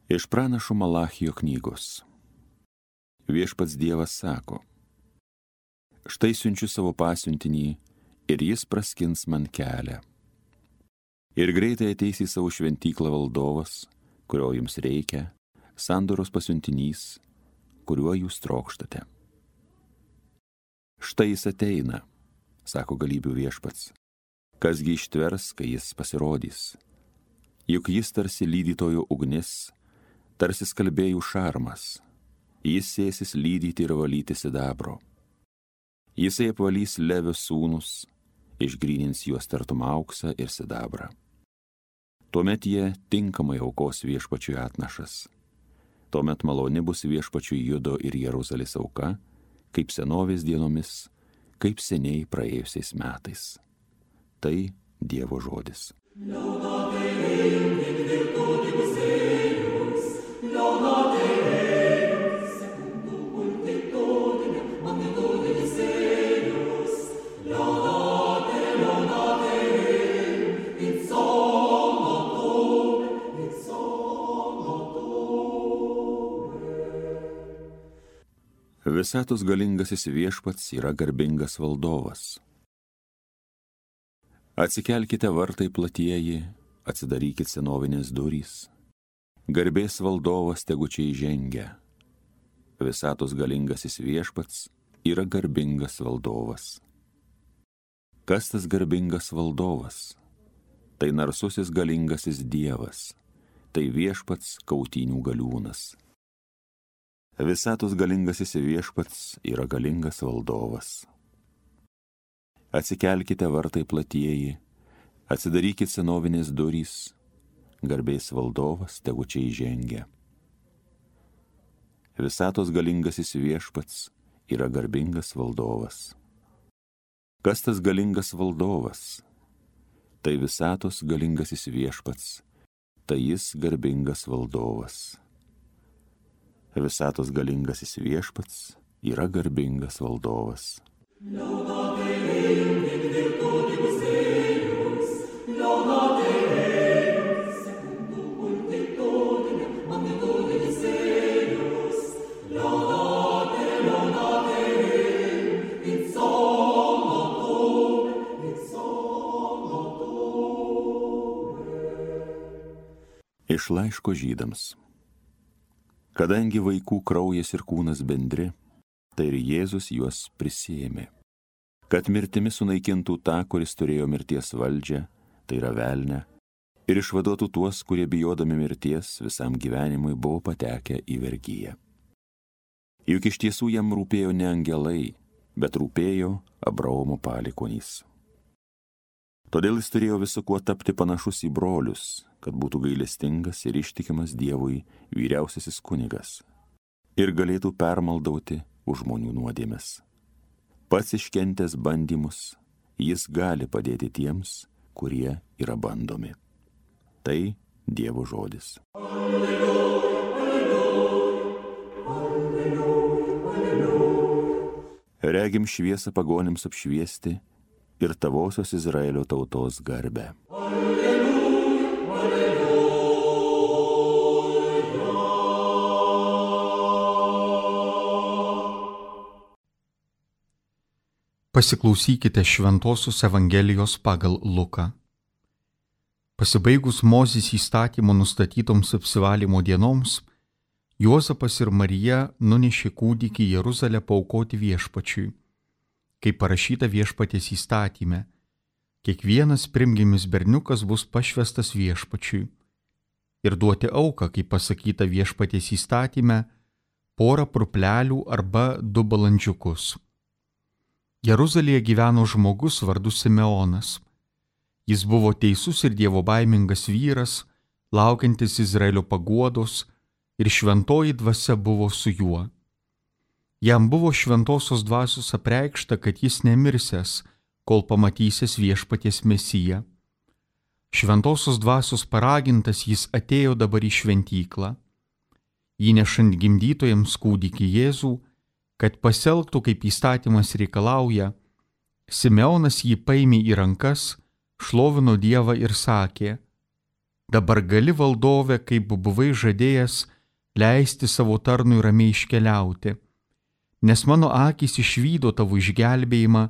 Iš pranašo Malachijo knygos. Viešpats Dievas sako: štai siunčiu savo pasiuntinį ir jis praskins man kelią. Ir greitai ateis į savo šventyklą valdovas, kurio jums reikia, sandoros pasiuntinys, kuriuo jūs trokštate. Štai jis ateina, sako galybių viešpats. Kasgi ištvers, kai jis pasirodys? Juk jis tarsi lydytojo ugnis, tarsi skalbėjų šarmas. Jis sėsis lydyti ir valyti sidabro. Jisai apvalys Levio sūnus, išgrynins juos tartum auksą ir sidabrą. Tuomet jie tinkamai aukos viešpačiui atnašas. Tuomet maloni bus viešpačiui Judo ir Jeruzalės auka, kaip senovės dienomis, kaip seniai praėjusiais metais. Tai Dievo žodis. Visatos galingasis viešpats yra garbingas valdovas. Atsikelkite vartai platieji, atsidarykit senovinės durys. Garbės valdovas tegu čia įžengia. Visatos galingasis viešpats yra garbingas valdovas. Kas tas garbingas valdovas? Tai narsusis galingasis Dievas, tai viešpats kautynių galiūnas. Visatos galingasis viešpats yra galingas valdovas. Atsikelkite vartai platieji, atsidarykit senovinės durys, garbės valdovas tegu čia įžengia. Visatos galingasis viešpats yra garbingas valdovas. Kas tas galingas valdovas? Tai visatos galingasis viešpats, tai jis garbingas valdovas. Visatos galingasis viešpats yra garbingas valdovas. Iš laiško Žydams. Kadangi vaikų kraujas ir kūnas bendri, tai ir Jėzus juos prisiėmė, kad mirtimi sunaikintų tą, kuris turėjo mirties valdžią, tai yra velnią, ir išvaduotų tuos, kurie bijodami mirties visam gyvenimui buvo patekę į vergiją. Juk iš tiesų jam rūpėjo ne angelai, bet rūpėjo Abraomo palikuonys. Todėl jis turėjo visu kuo tapti panašus į brolius, kad būtų gailestingas ir ištikimas Dievui vyriausiasis kunigas ir galėtų permaldauti už žmonių nuodėmes. Pats iškentęs bandymus, jis gali padėti tiems, kurie yra bandomi. Tai Dievo žodis. Alleluja, alleluja, alleluja. Regim šviesą pagonims apšviesti ir tavosios Izraelio tautos garbę. Alleluja, alleluja. Pasiklausykite Šventosios Evangelijos pagal Luką. Pasibaigus Mozės įstatymo nustatytoms apsivalymo dienoms, Juozapas ir Marija nunešė kūdikį į Jeruzalę paaukoti viešpačiui. Kaip parašyta viešpaties įstatyme, kiekvienas pirmgimis berniukas bus pašvestas viešpačiui. Ir duoti auką, kaip pasakyta viešpaties įstatyme, 1 purplelių arba 2 balandžiukus. Jeruzalėje gyveno žmogus vardu Simeonas. Jis buvo teisus ir dievobaimingas vyras, laukiantis Izraelio paguodos, ir šventoji dvasia buvo su juo. Jam buvo šventosios dvasios apreikšta, kad jis nemirsęs, kol pamatysės viešpaties Mesiją. Šventosios dvasios paragintas jis atėjo dabar į šventyklą. Įnešant gimdytojams kūdikį Jėzų, kad pasielgtų kaip įstatymas reikalauja, Simeonas jį paėmė į rankas, šlovino Dievą ir sakė: dabar gali valdove, kaip buvai žadėjęs, leisti savo tarnui ramiai iškeliauti, nes mano akys išvydo tavo išgelbėjimą,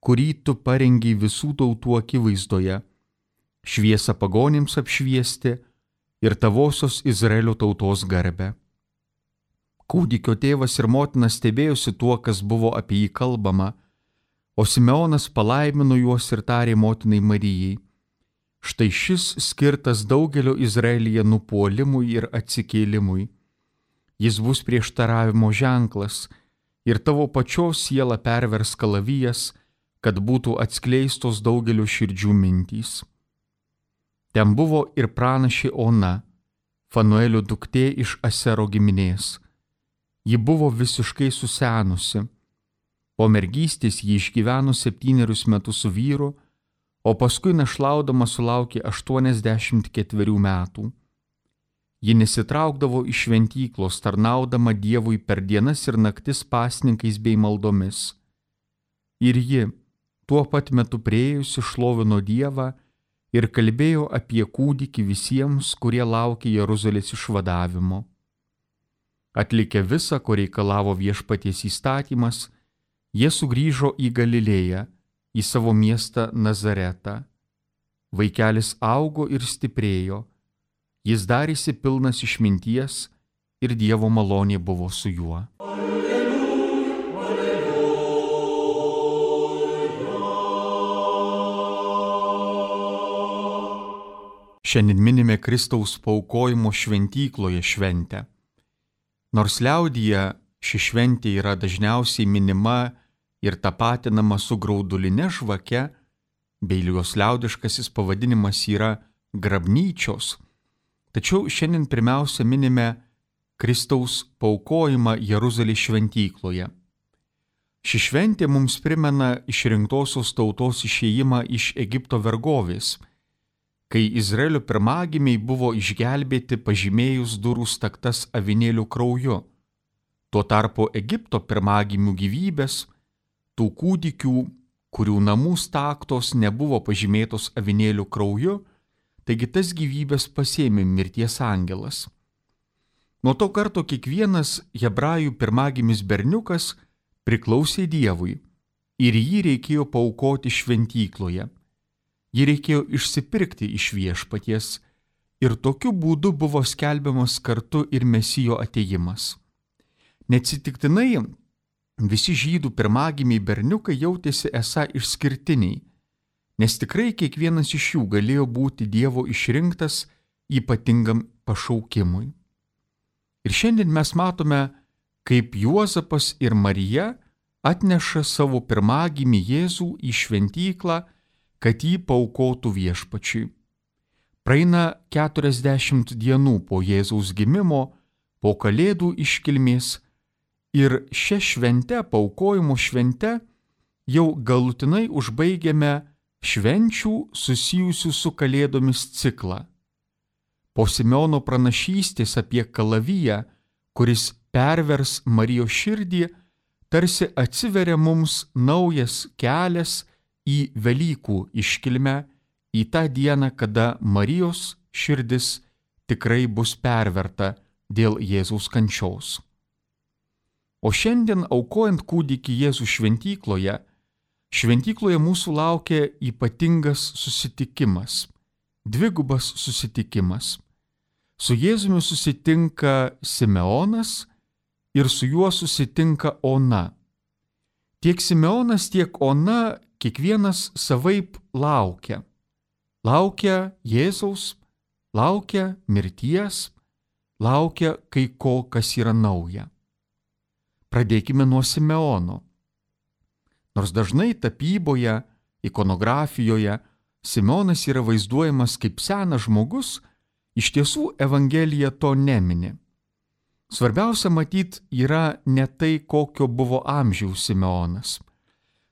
kurį tu parengiai visų tautų akivaizdoje, šviesą pagonims apšviesti ir tavosios Izraelio tautos garbę. Kūdikio tėvas ir motina stebėjosi tuo, kas buvo apie jį kalbama, o Simeonas palaimino juos ir tarė motinai Marijai: štai šis skirtas daugelio Izraelyje nupuolimui ir atsikėlimui. Jis bus prieštaravimo ženklas ir tavo pačios sielą pervers kalavijas, kad būtų atskleistos daugelio širdžių mintys. Ten buvo ir pranašė Ona, Fanuelio duktė iš Asero giminės. Ji buvo visiškai susenusi. Po mergystės ji išgyveno 7 metus su vyru, o paskui našlaudama sulaukė 84 metų. Ji nesitraukdavo iš šventyklos, tarnaudama Dievui per dienas ir naktis pasninkais bei maldomis. Ir ji, tuo pat metu priėjusi, šlovino Dievą ir kalbėjo apie kūdikį visiems, kurie laukė Jeruzalės išvadavimo. Atlikę visą, ko reikalavo viešpaties įstatymas, jie sugrįžo į Galilėją, į savo miestą Nazaretą. Vaikelis augo ir stiprėjo, jis darėsi pilnas išminties ir Dievo malonė buvo su juo. Šiandien minime Kristaus paaukojimo šventykloje šventę. Nors liaudyje ši šventė yra dažniausiai minima ir tapatinama su grauduline žvake, bei jos liaudiškasis pavadinimas yra grabnyčios, tačiau šiandien pirmiausia minime Kristaus paaukojimą Jeruzalės šventykloje. Ši šventė mums primena išrinktosios tautos išėjimą iš Egipto vergovės, kai Izraelio pirmagimiai buvo išgelbėti pažymėjus durų staktas avinėlių krauju. Tuo tarpu Egipto pirmagimių gyvybės, tų kūdikių, kurių namų staktos nebuvo pažymėtos avinėlių krauju, taigi tas gyvybės pasėmė mirties angelas. Nuo to karto kiekvienas hebrajų pirmagimis berniukas priklausė Dievui ir jį reikėjo paaukoti šventykloje. Jį reikėjo išsipirkti iš viešpaties ir tokiu būdu buvo skelbiamas kartu ir Mesijo atėjimas. Neatsitiktinai visi žydų pirmagimiai berniukai jautėsi esą išskirtiniai, nes tikrai kiekvienas iš jų galėjo būti Dievo išrinktas ypatingam pašaukimui. Ir šiandien mes matome, kaip Juozapas ir Marija atneša savo pirmagimį Jėzų į šventyklą, kad jį paaukotų viešpačiui. Praeina 40 dienų po Jėzaus gimimo, po Kalėdų iškilmės ir šią šventę, paaukojimo šventę, jau galutinai užbaigiame švenčių susijusių su Kalėdomis ciklą. Po Simeono pranašystės apie kalaviją, kuris pervers Marijos širdį, tarsi atsiveria mums naujas kelias į Velykų iškilmę, į tą dieną, kada Marijos širdis tikrai bus perverta dėl Jėzaus kančios. O šiandien, aukojant kūdikį Jėzų šventykloje mūsų laukia ypatingas susitikimas, dvigubas susitikimas. Su Jėzumi susitinka Simeonas ir su juo susitinka Ona. Tiek Simeonas, tiek Ona kiekvienas savaip laukia. Laukia Jėzaus, laukia mirties, laukia kai ko, kas yra nauja. Pradėkime nuo Simeono. Nors dažnai tapyboje, ikonografijoje Simeonas yra vaizduojamas kaip senas žmogus, iš tiesų Evangelija to nemini. Svarbiausia matyt yra ne tai, kokio buvo amžiaus Simeonas.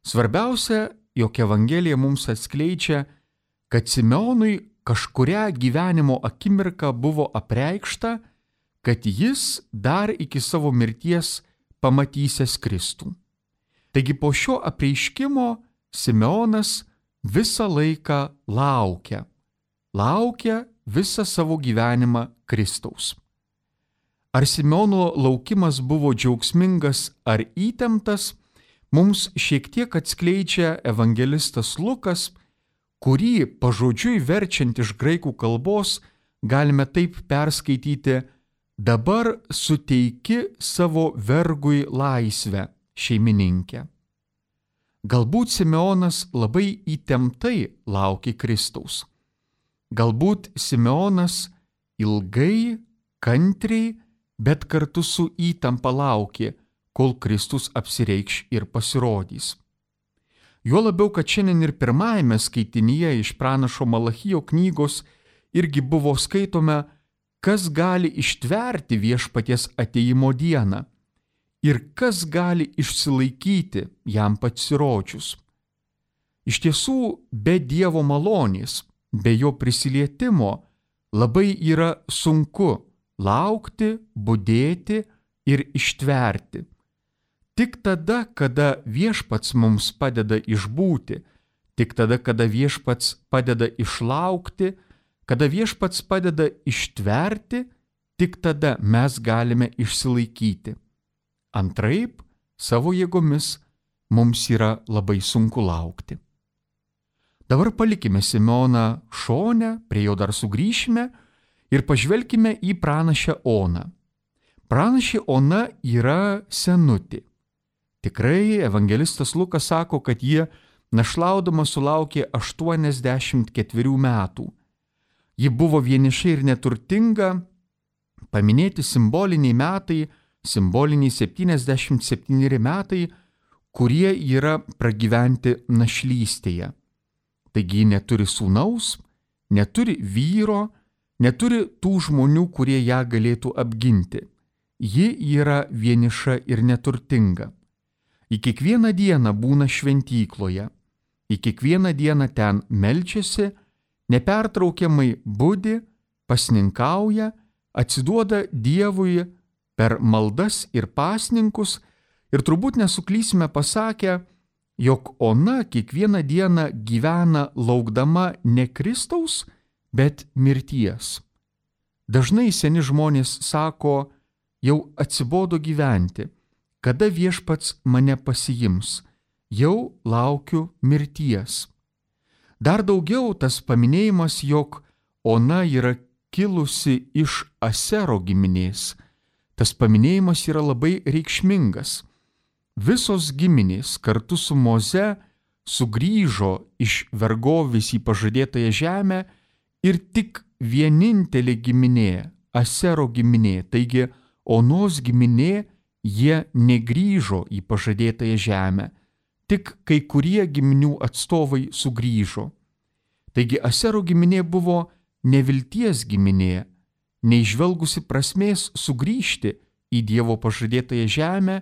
Svarbiausia, jog Evangelija mums atskleidžia, kad Simeonui kažkurią gyvenimo akimirką buvo apreikšta, kad jis dar iki savo mirties pamatysęs Kristų. Taigi po šio apreiškimo Simeonas visą laiką laukia visą savo gyvenimą Kristaus. Ar Simeono laukimas buvo džiaugsmingas ar įtemptas, mums šiek tiek atskleidžia evangelistas Lukas, kurį pažodžiui verčiant iš graikų kalbos galime taip perskaityti: dabar suteiki savo vergui laisvę, šeimininkė. Galbūt Simeonas labai įtemptai laukė Kristaus. Galbūt Simeonas ilgai, kantriai, bet kartu su įtampa laukė, kol Kristus apsireikš ir pasirodys. Juo labiau, kad šiandien ir pirmajame skaitinyje iš pranašo Malachijo knygos irgi buvo skaitome, kas gali ištverti viešpaties atėjimo dieną ir kas gali išsilaikyti jam pasirodžius. Iš tiesų, be Dievo malonės, be jo prisilietimo labai yra sunku laukti, budėti ir ištverti. Tik tada, kada viešpats mums padeda išbūti, tik tada, kada viešpats padeda išlaukti, kada viešpats padeda ištverti, tik tada mes galime išsilaikyti. Antraip, savo jėgomis mums yra labai sunku laukti. Dabar palikime Simeoną šone, prie jo dar sugrįšime ir pažvelkime į pranašę Oną. Pranašė Ona yra senutė. Tikrai evangelistas Lukas sako, kad ji našlaudama sulaukė 84 metų. Ji buvo vieniša ir neturtinga, paminėti simboliniai metai, simboliniai 77 metai, kurie yra pragyventi našlystėje. Taigi ji neturi sūnaus, neturi vyro, neturi tų žmonių, kurie ją galėtų apginti. Ji yra vieniša ir neturtinga. Į kiekvieną dieną būna šventykloje, į kiekvieną dieną ten meldžiasi, nepertraukiamai budi, pasninkauja, atsiduoda Dievui per maldas ir pasninkus ir turbūt nesuklysime pasakę, jog Ona kiekvieną dieną gyvena laukdama ne Kristaus, bet mirties. Dažnai seni žmonės sako, jau atsibodo gyventi, kada viešpats mane pasiims, jau laukiu mirties. Dar daugiau tas paminėjimas, jog Ona yra kilusi iš Asero giminės. Tas paminėjimas yra labai reikšmingas. Visos giminės kartu su Moze sugrįžo iš vergovės į pažadėtąją žemę ir tik vienintelė giminė, Asero giminė, taigi Onos giminė, jie negrįžo į pažadėtąją žemę, tik kai kurie giminių atstovai sugrįžo. Taigi Asero giminė buvo nevilties giminė, neižvelgusi prasmės sugrįžti į Dievo pažadėtąją žemę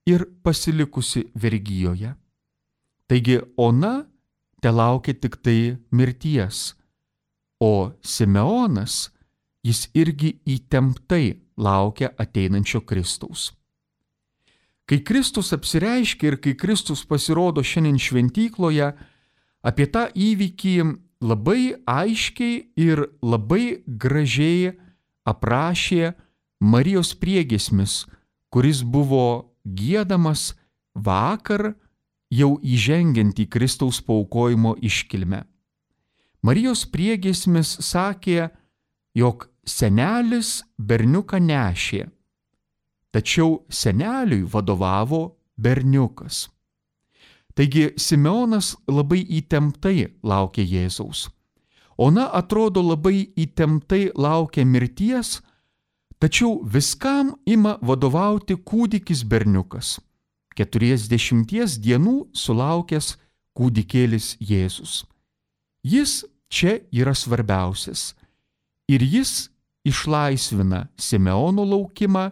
ir pasilikusi vergijoje. Taigi Ona telaukia tik tai mirties, o Simeonas, jis irgi įtemptai laukia ateinančio Kristaus. Kai Kristus apsireiškia ir kai Kristus pasirodo šiandien šventykloje, apie tą įvykį labai aiškiai ir labai gražiai aprašė Marijos priegiesmis, kuris buvo giedamas vakar jau įžengiant į Kristaus paaukojimo iškilmę. Marijos priegiesmis sakė, jog senelis berniuką nešė, tačiau seneliui vadovavo berniukas. Taigi Simeonas labai įtemptai laukia Jėzaus. Ona atrodo labai įtemptai laukia mirties, tačiau viskam ima vadovauti kūdikis berniukas, 40 dienų sulaukęs kūdikėlis Jėzus. Jis čia yra svarbiausias ir jis išlaisvina Simeono laukimą,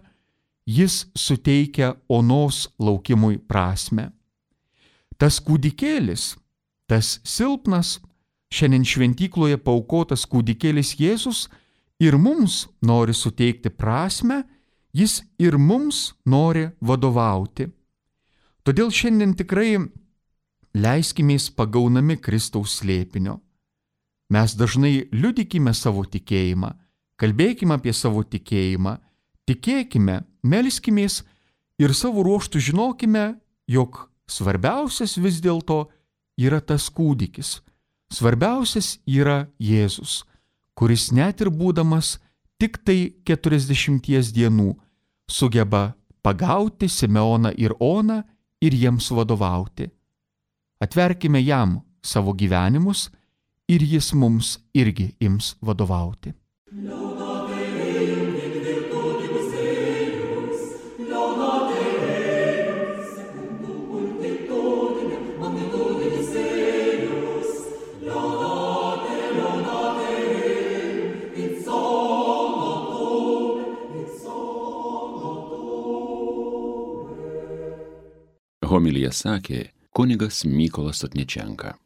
jis suteikia Onos laukimui prasmę. Tas kūdikėlis, tas silpnas, šiandien šventykloje paaukotas kūdikėlis Jėzus ir mums nori suteikti prasmę, jis ir mums nori vadovauti. Todėl šiandien tikrai leiskimės pagaunami Kristaus slėpinio. Mes dažnai liudykime savo tikėjimą, kalbėkime apie savo tikėjimą, tikėkime, melskimės ir savo ruoštų žinokime, jog svarbiausias vis dėlto yra tas kūdikis. Svarbiausias yra Jėzus, kuris net ir būdamas tik tai 40 dienų sugeba pagauti Simeoną ir Oną ir jiems vadovauti. Atverkime jam savo gyvenimus ir jis mums irgi ims vadovauti. Homiliją sakė kunigas Mykolas Sotničenka.